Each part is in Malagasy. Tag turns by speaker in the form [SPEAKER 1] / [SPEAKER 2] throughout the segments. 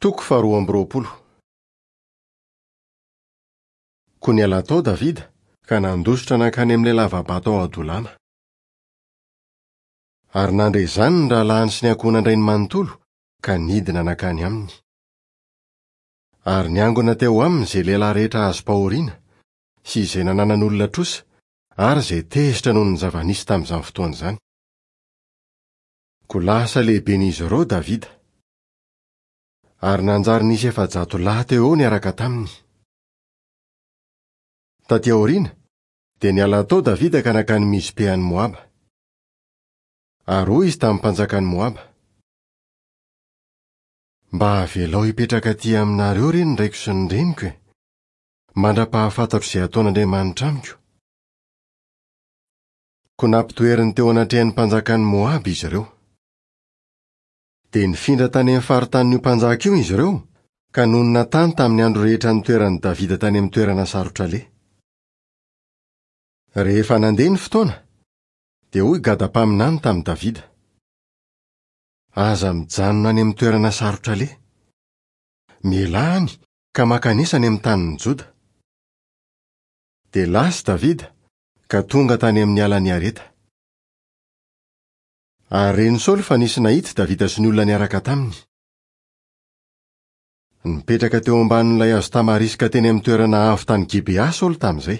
[SPEAKER 1] Toko faharoa amby 20. Koa niala tao Davida ka nandositra nankany amin'ilay lava-bato ao Adolama. Ary nandre izany ny rahalahiny sy ny ankohonan-drainy manontolo ka nidina nankany aminy. Ary niangona teo aminy izay lehilahy rehetra azom-pahoriana sy izay nananan'olona trosa ary izay tezitra noho ny zava-nisy tamin'izany fotoana izany. Koa lasa lehiben'izy ireo Davida. Ary nanjary nisy 400 lahy teo eo niaraka taminy. Tatỳ aoriana, dia niala tao Davida ka nankany Mizpe any Moaba. Ary hoy izy tamin'ny mpanjakan'i Moaba, Mba avelao hipetraka atỳ aminareo re ny raiko sy ny reniko e, mandra-pahafantatro izay hataon'Andriamanitra amiko. Koa nampitoeriny teo anatrehan'ny mpanjakan'i Moaba izy ireo. Dia nifindra tany amin'ny faritanin'io mpanjaka io izy ireo, ka nonina tany tamin'ny andro rehetra nitoeran'i Davida tany amin'ny toerana sarotra aleha. Rehefa nandeha ny fotoana, dia hoy Gada mpaminany tamin'i Davida, Aza mijanona any amin'ny toerana sarotra aleha. Mialà any ka mankanesa any amin'ny tanin'i Joda. Dia lasa Davida ka tonga tany amin'ny alan'i Hareta. Ary ren'i Saoly fa nisy nahita i Davida sy ny olona niaraka taminy. Nipetraka teo ambanin'ilay hazo tamariska teny amin'ny toerana avo tany Gibea Saoly tamin'izay.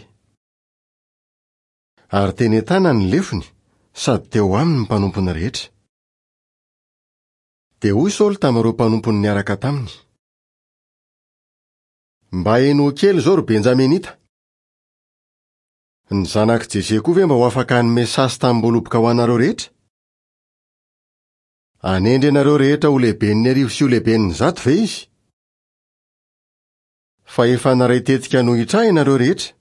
[SPEAKER 1] Ary teny an-tanany ny lefony, sady teo aminy ny mpanompony rehetra. Dia hoy Saoly tamin'ireo mpanompony niaraka taminy, Mba henoy kely izao, ry Benjaminita! Ny zanak'i Jese koa ve mba ho afaka hanome sasy tamim-boaloboka ho anareo rehetra? Hanendry anareo rehetra ho lehiben'ny arivo sy ho lehiben'ny zato ve izy? Fa efa naray tetika hanohitra ahy ianareo rehetra.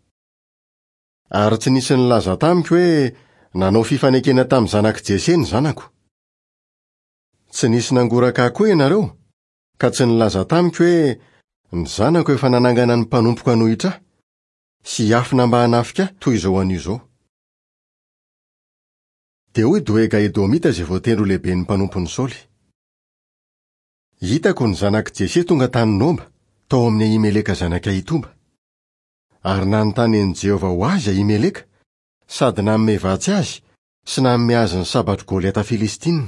[SPEAKER 1] Ary tsy nisy nilaza tamiko hoe nanao fifanekena tamin'ny zanak'i Jese ny zanako. Tsy nisy nangoraka ahy koa ianareo, ka tsy nilaza tamiko hoe ny zanako efa nanangana ny mpanompoko hanohitra ahy, sy hiafina mba hanafika ahy toy izao anio izao. Dia hoy Doega Edomita izay voatendry ho lehiben'ny mpanompon'i Saoly, Hitako ny zanak'i Jese tonga tany Noba, tao amin'i Ahimeleka zanak'i Ahitoba. Ary nanontany an'i Jehovah ho azy Ahimeleka, sady nanome vatsy azy sy nanome azy ny sabatr'i Goliata Filistina.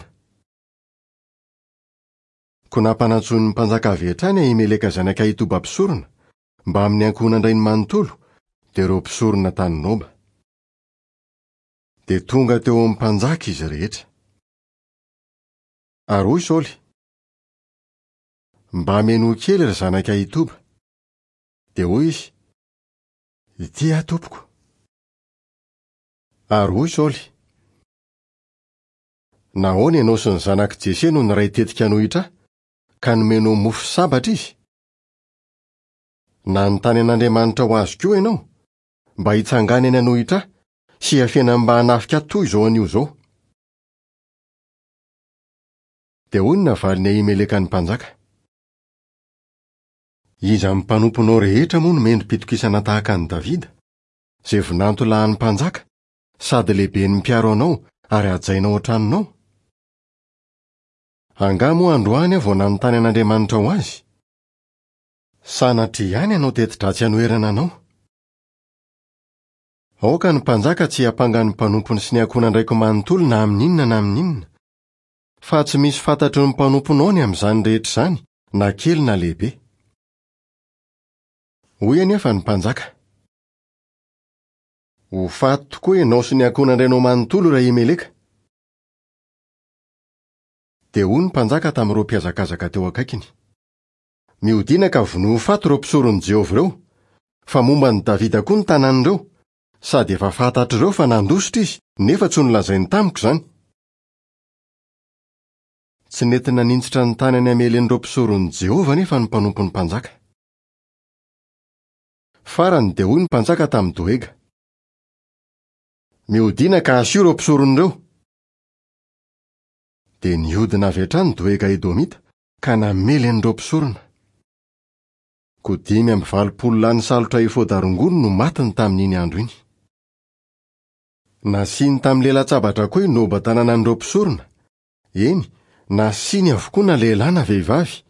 [SPEAKER 1] Koa nampanantsoin'ny mpanjaka avy hatrany Ahimeleka zanak'i Ahitoba mpisorona, mbamin'ny ankohonan-drainy manontolo, dia ireo mpisorona tany Noba. Dia tonga teo amin'ny mpanjaka izy rehetra. Ary hoy Saoly, Mba menoa kely, ry zanak'i Ahitoba. Dia hoy izy, Ity aho, tompoko. Ary hoy Saoly, Nahoana ianao sy ny zanak'i Jese no niray tetika hanohitra ahy, ka nomenao mofo sy sabatra izy? Nanontany an'Andriamanitra ho azy koa ianao, mba hitsanganany hanohitra ahy sy hiafenany mba hanafika ahy toy izao anio izao. Dia hoy ny navalin'i Ahimeleka ny mpanjaka, Iza amin'ny mpanomponao rehetra moa no mendri-pitokisana tahaka an'i Davida, izay vinanto lahin'ny mpanjaka, sady lehiben'ny mpiaro anao ary hajaina ao an-tranonao? Angaha moa androany aho vao nanontany an'Andriamanitra ho azy? Sanatria ihany hanao teti-dratsy hanoherana anao. Aoka ny mpanjaka tsy hiampanga ny mpanompony sy ny ankohonan-draiko manontolo na amin'inona na amin'inona, fa tsy misy fantatry ny mpanomponao ny amin'izany rehetra izany, na kely na lehibe. Hoy anefa ny mpanjaka, Ho faty tokoa ianao sy ny ankohonan-drainao manontolo, ry Ahimeleka. Dia hoy ny mpanjaka tamin'ireo mpihazakazaka teo akaikiny, Mihodina ka vonoy ho faty ireo mpisoron'i Jehovah ireo, fa momba an'i Davida koa ny tanàn'ireo, sady efa fantatr'ireo fa nandositra izy, nefa tsy nolazainy tamiko izany. Tsy nety naninjitra ny tanany hamely an'ireo mpisoron'i Jehovah anefa ny mpanompon'ny mpanjaka. Farany dia hoy ny mpanjaka tamin'i Doega, Mihodina ka asio ireo mpisorona ireo. Dia nihodina avy hatrany Doega Edomita ka namely an'ireo mpisorona. Koa 85 lahy nisalotra efoda rongony no matiny tamin'iny andro iny. Nasiany tamin'ny lelan-tsabatra koa i Noba tanànan'ireo mpisorona, eny, nasiany avokoa na lehilahy na vehivavy,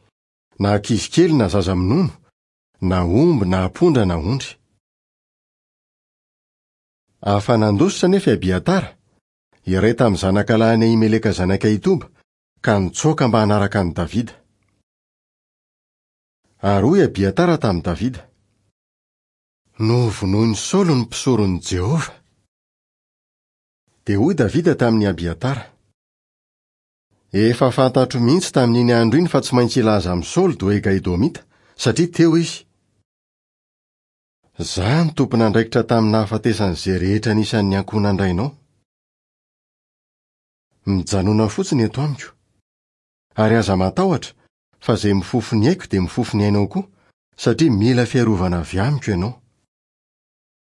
[SPEAKER 1] na ankizy kely na zaza minono, na omby na ampondra na ondry. Afa-nandositra anefa i Abiatara, iray tamin'ny zanakalahin'i Ahimeleka zanak'i Ahitoba, ka nitsoaka mba hanaraka an'i Davida. Ary hoy Abiatara tamin'i Davida, Novonoin'i Saoly ny mpisoron'i Jehovah. Dia hoy Davida tamin'i Abiatara, Efa fantatro mihitsy tamin'iny andro iny fa tsy maintsy hilaza amin'i Saoly Doega Edomita, satria teo izy. Izaho no tompon'andraikitra tamin'ny nahafatesan'izay rehetra anisan'ny ankohonan-drainao. Mijanòna fotsiny eto amiko. Ary aza matahotra, fa izay mifofo ny aiko dia mifofo ny ainao koa, satria mila fiarovana avy amiko ianao.